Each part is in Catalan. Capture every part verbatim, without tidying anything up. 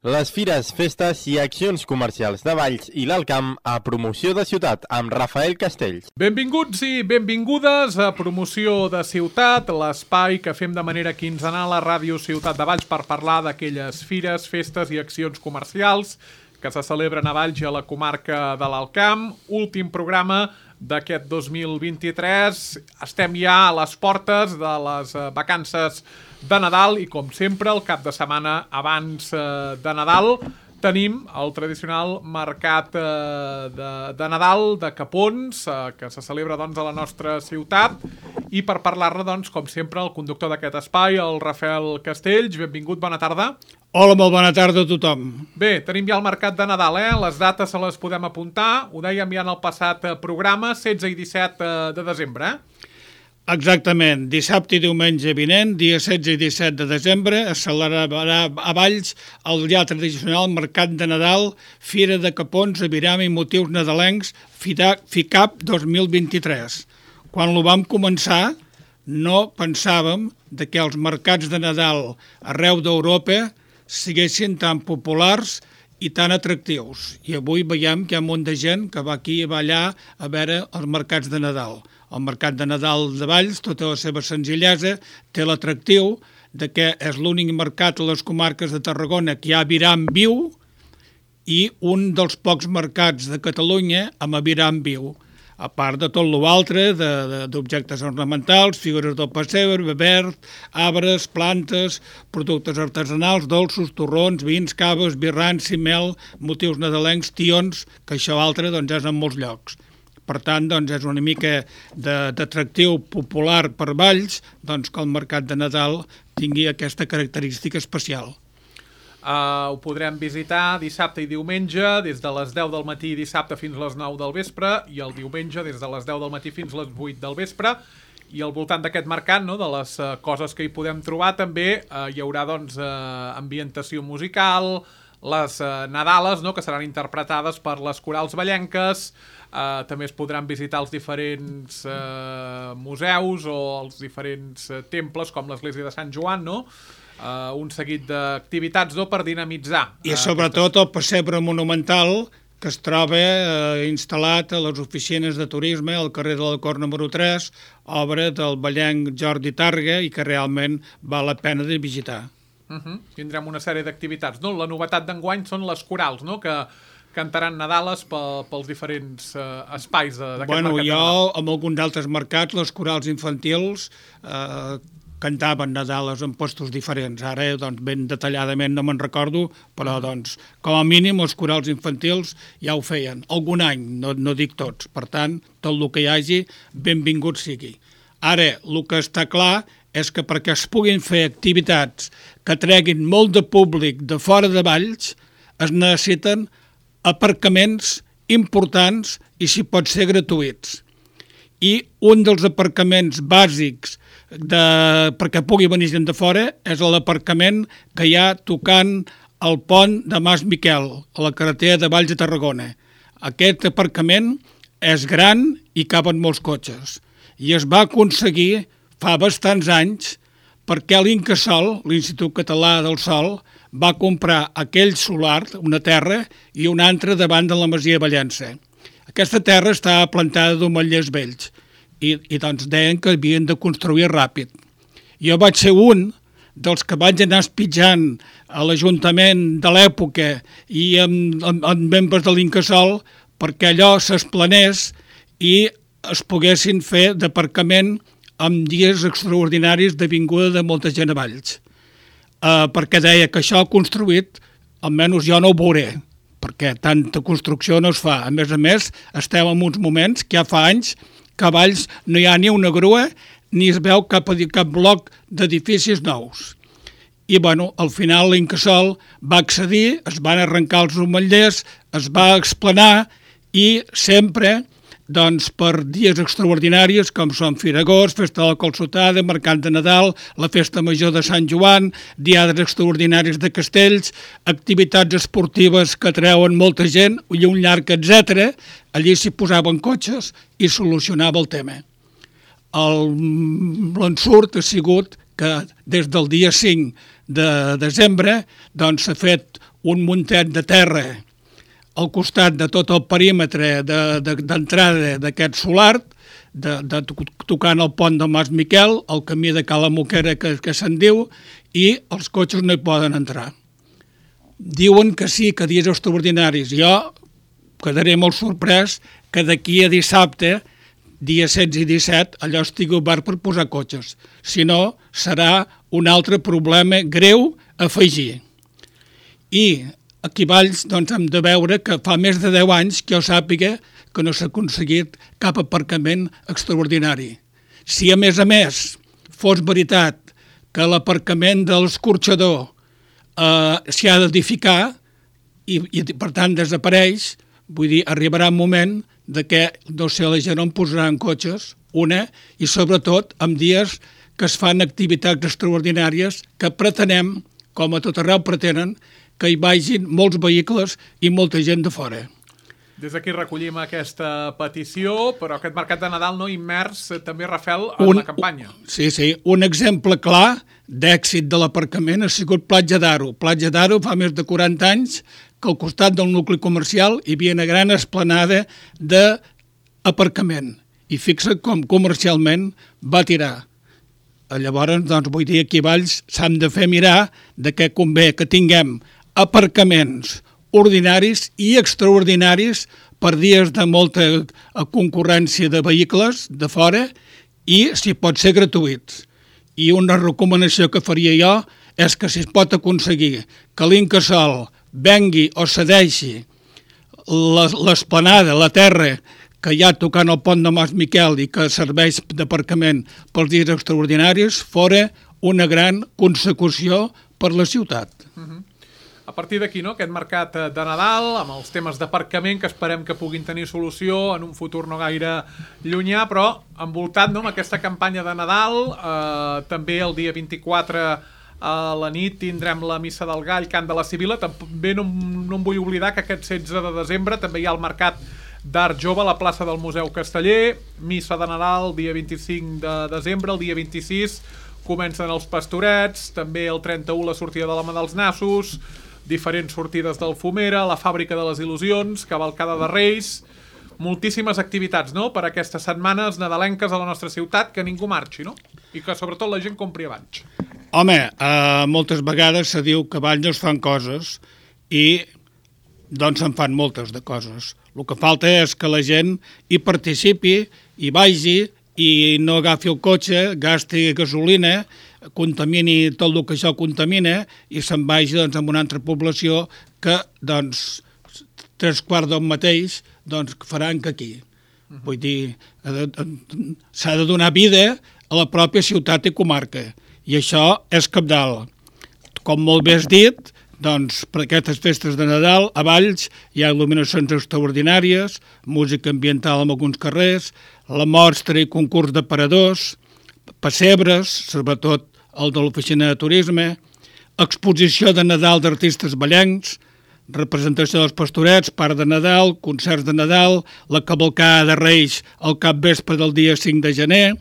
Les fires, festes i accions comercials de Valls i l'Alt Camp a Promoció de Ciutat amb Rafael Castells. Benvinguts i benvingudes a Promoció de Ciutat, l'espai que fem de manera quinzenal a Ràdio Ciutat de Valls per parlar d'aquelles fires, festes i accions comercials que se celebren a Valls i a la comarca de l'Alt Camp. Últim programa d'aquest dos mil vint-i-tres. Estem ja a les portes de les vacances de Nadal i, com sempre, el cap de setmana abans de Nadal tenim el tradicional mercat de, de Nadal de Capons, que se celebra doncs, a la nostra ciutat. I per parlar-ne, doncs, com sempre, el conductor d'aquest espai, el Rafael Castells. Benvingut, bona tarda. Hola, molt bona tarda a tothom. Bé, tenim ja el mercat de Nadal, eh? Les dates se les podem apuntar. Ho dèiem ja en el passat programa, setze i disset de desembre, eh? Exactament. Dissabte i diumenge vinent, dia setze i disset de desembre, es celebrarà a Valls el ja tradicional Mercat de Nadal, Fira de Capons, Aviram i Motius Nadalencs, FICAP dos mil vint-i-tres. Quan ho vam començar, no pensàvem de que els mercats de Nadal arreu d'Europa siguessin tan populars i tan atractius. I avui veiem que hi ha un munt de gent que va aquí i va allà a veure els mercats de Nadal. El mercat de Nadal de Valls, tota la seva senzillesa, té l'atractiu de que és l'únic mercat a les comarques de Tarragona que hi ha aviram viu i un dels pocs mercats de Catalunya amb aviram viu. A part de tot l'altre, d'objectes ornamentals, figures del pessebre, verd, arbres, plantes, productes artesanals, dolços, torrons, vins, caves, birrans, mel, motius nadalencs, tions, que això altre doncs, és en molts llocs. Per tant, doncs, és una mica d'atractiu popular per Valls doncs, que el mercat de Nadal tingui aquesta característica especial. Uh, ho podrem visitar dissabte i diumenge des de les deu del matí dissabte fins a les nou del vespre i el diumenge des de les deu del matí fins a les vuit del vespre. I al voltant d'aquest mercat, no, de les uh, coses que hi podem trobar, també uh, hi haurà doncs, uh, ambientació musical, les uh, Nadales, no, que seran interpretades per les corals vallenques. Uh, també es podran visitar els diferents uh, museus o els diferents uh, temples, com l'església de Sant Joan, no? Uh, un seguit d'activitats no, per dinamitzar. I uh, sobretot aquestes... el pessebre monumental que es troba uh, instal·lat a les oficines de turisme al carrer de l'Alcor número tres, obra del ballenc Jordi Targa i que realment val la pena de visitar. Uh-huh. Tindrem una sèrie d'activitats. No? La novetat d'enguany són les corals, no? que cantaran Nadales pels diferents uh, espais d'aquest bueno, mercat. Jo, amb alguns altres mercats, les corals infantils eh, cantaven Nadales en postos diferents. Ara, doncs, ben detalladament no me'n recordo, però, doncs, com a mínim, els corals infantils ja ho feien. Algun any, no, no dic tots. Per tant, tot el que hi hagi, benvingut sigui. Ara, el que està clar és que perquè es puguin fer activitats que treguin molt de públic de fora de Valls, es necessiten aparcaments importants i, si pot ser, gratuïts. I un dels aparcaments bàsics de, perquè pugui venir gent de fora és l'aparcament que hi ha tocant el pont de Mas Miquel, a la carretera de Valls a Tarragona. Aquest aparcament és gran i caben molts cotxes. I es va aconseguir fa bastants anys perquè l'Incasòl, l'Institut Català del Sol, va comprar aquell solar, una terra, i una altra davant de la Masia Vallença. Aquesta terra estava plantada d'omellers vells i, i doncs deien que havien de construir ràpid. Jo vaig ser un dels que vaig anar espitjant a l'Ajuntament de l'època i amb, amb, amb membres de l'Incasòl perquè allò s'esplanés i es poguessin fer d'aparcament amb dies extraordinaris de vinguda de molta gent a Valls. Uh, perquè deia que això construït, almenys jo no ho veuré, perquè tanta construcció no es fa. A més a més, estem en uns moments que ja fa anys que a Valls no hi ha ni una grua ni es veu cap, cap bloc d'edificis nous. I, bueno, al final l'Incasòl va accedir, es van arrencar els omellers, es va explanar i sempre... doncs per dies extraordinaris com són Fira d'Agost, Festa de la Calçotada, Mercat de Nadal, la Festa Major de Sant Joan, diades extraordinaris de castells, activitats esportives que treuen molta gent i un llarg etcètera, allí s'hi posaven cotxes i solucionava el tema. L'ensurt ha sigut que des del dia cinc de desembre doncs, s'ha fet un muntet de terra al costat de tot el perímetre d'entrada de, de, d'aquest solar, de, de, tocant el pont del Mas Miquel, el camí de Cala Moquera que, que se'n diu, i els cotxes no hi poden entrar. Diuen que sí, que dies extraordinaris. Jo quedaré molt sorprès que d'aquí a dissabte, dia setze i disset, allò estigui obert per posar cotxes. Si no, serà un altre problema greu a afegir. I aquí a Valls doncs, hem de veure que fa més de deu anys que jo sàpiga que no s'ha aconseguit cap aparcament extraordinari. Si a més a més fos veritat que l'aparcament de l'escorxador eh, s'hi ha d'edificar i, i per tant desapareix, vull dir, arribarà un moment de que, no sé, la gent on posaran cotxes, una, i sobretot en dies que es fan activitats extraordinàries que pretenem, com a tot arreu pretenen, que hi vagin molts vehicles i molta gent de fora. Des d'aquí recollim aquesta petició, però aquest mercat de Nadal no immers també, Rafel, en un, la campanya. Sí, sí. Un exemple clar d'èxit de l'aparcament ha sigut Platja d'Aro. Platja d'Aro fa més de quaranta anys que al costat del nucli comercial hi havia una gran esplanada d'aparcament. I fixa com comercialment va tirar. Llavors, doncs, vull dir, aquí a Valls s'han de fer mirar de què convé que tinguem aparcaments ordinaris i extraordinaris per dies de molta concurrència de vehicles de fora i, si pot ser, gratuïts. I una recomanació que faria jo és que si es pot aconseguir que l'Incasòl vengui o cedeixi l'esplanada, la terra que hi ha tocant el pont de Mas Miquel i que serveix d'aparcament pels dies extraordinaris, fora una gran consecució per la ciutat. Uh-huh. A partir d'aquí, no?, aquest mercat de Nadal, amb els temes d'aparcament que esperem que puguin tenir solució en un futur no gaire llunyà, però envoltat, no?, amb aquesta campanya de Nadal, eh, també el dia vint-i-quatre a la nit tindrem la Missa del Gall, Cant de la Sibil·la. També no, no em vull oblidar que aquest setze de desembre també hi ha el mercat d'Art Jove a la plaça del Museu Casteller, Missa de Nadal, dia vint-i-cinc de desembre, el dia vint-i-sis comencen els pastorets, també el trenta-u la sortida de l'Home dels Nassos, diferents sortides del Fumera, la Fàbrica de les Il·lusions, cavalcada de Reis, moltíssimes activitats, no?, per aquestes setmanes nadalenques a la nostra ciutat, que ningú marxi, no?, i que sobretot la gent compri abans. Home, eh, moltes vegades se diu que abans no es fan coses i doncs se'n fan moltes de coses. El que falta és que la gent hi participi, hi vagi i no agafi el cotxe, gasti gasolina, contamini tot el que això contamina i se'n vagi doncs, amb una altra població que doncs, tres quarts del mateix doncs, faran que aquí. Uh-huh. Vull dir, s'ha de donar vida a la pròpia ciutat i comarca i això és cabdal. Com molt bé has dit, doncs, per aquestes festes de Nadal a Valls hi ha il·luminacions extraordinàries, música ambiental en alguns carrers, la mostra i concurs de paradors, pessebres, sobretot el de l'oficina de turisme, exposició de Nadal d'artistes ballencs, representació dels pastorets, part de Nadal, concerts de Nadal, la cavalcada de Reis al capvespre del dia cinc de gener,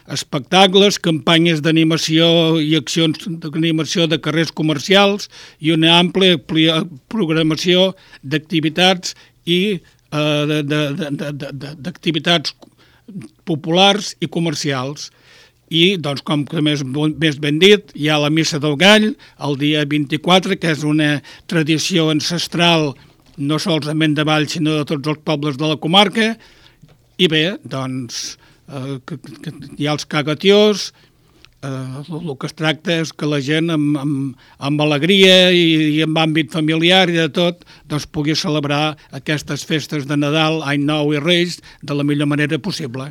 espectacles, campanyes d'animació i accions d'animació de carrers comercials i una àmplia programació d'activitats i eh, d'activitats populars i comercials. I, doncs, com que més, més ben dit, hi ha la Missa del Gall el dia vint-i-quatre, que és una tradició ancestral no solament de Valls, sinó de tots els pobles de la comarca. I bé, doncs, eh, que, que hi ha els cagatiós, eh, el que es tracta és que la gent amb, amb, amb alegria i, i amb àmbit familiar i de tot, doncs pugui celebrar aquestes festes de Nadal, Any Nou i Reis de la millor manera possible.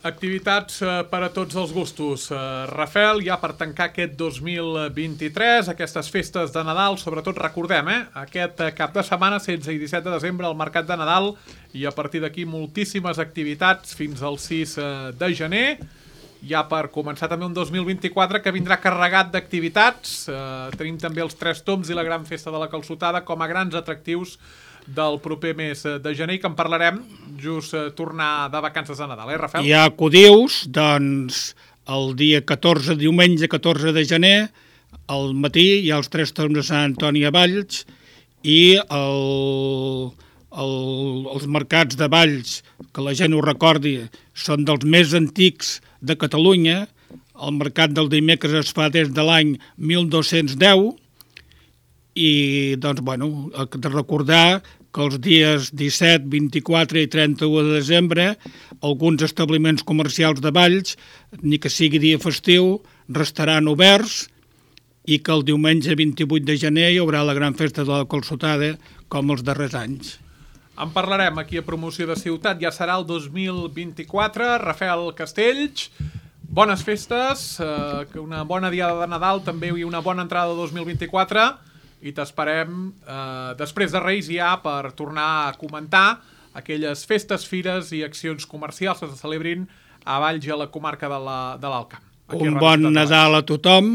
Activitats eh, per a tots els gustos. Eh, Rafel, ja per tancar aquest dos mil vint-i-tres, aquestes festes de Nadal, sobretot recordem, eh, aquest cap de setmana, setze i disset de desembre, al Mercat de Nadal, i a partir d'aquí moltíssimes activitats fins al sis de gener. Ja per començar també un dos mil vint-i-quatre que vindrà carregat d'activitats. Eh, tenim també els Tres Tombs i la Gran Festa de la Calçotada com a grans atractius del proper mes de gener, i que en parlarem just eh, tornar de vacances de Nadal, eh, Rafel? Ja acudius, doncs, el dia catorze, diumenge catorze de gener, al matí hi ha els Tres Tombs de Sant Antoni a Valls, i el, el, els mercats de Valls, que la gent ho recordi, són dels més antics de Catalunya. El mercat del dimecres es fa des de l'any mil dos-cents deu i, doncs, bueno, he de recordar que els dies disset, vint-i-quatre i trenta-u de desembre alguns establiments comercials de Valls, ni que sigui dia festiu, restaran oberts i que el diumenge vint-i-vuit de gener hi haurà la gran festa de la calçotada com els darrers anys. En parlarem aquí a Promoció de Ciutat, ja serà el dos mil vint-i-quatre. Rafael Castells, bones festes, eh, una bona diada de Nadal també i una bona entrada de dos mil vint-i-quatre i t'esperem eh, després de Reis ja per tornar a comentar aquelles festes, fires i accions comercials que se celebrin a Valls i a la comarca de l'Alt Camp. Un bon Nadal a tothom,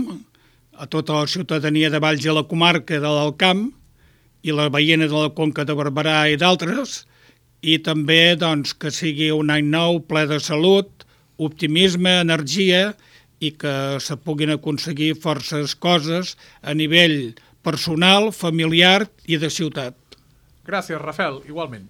a tota la ciutadania de Valls i a la comarca de l'Alt Camp i la veïna de la Conca de Barberà i d'altres, i també doncs, que sigui un any nou ple de salut, optimisme, energia i que se puguin aconseguir forces coses a nivell personal, familiar i de ciutat. Gràcies, Rafael, igualment.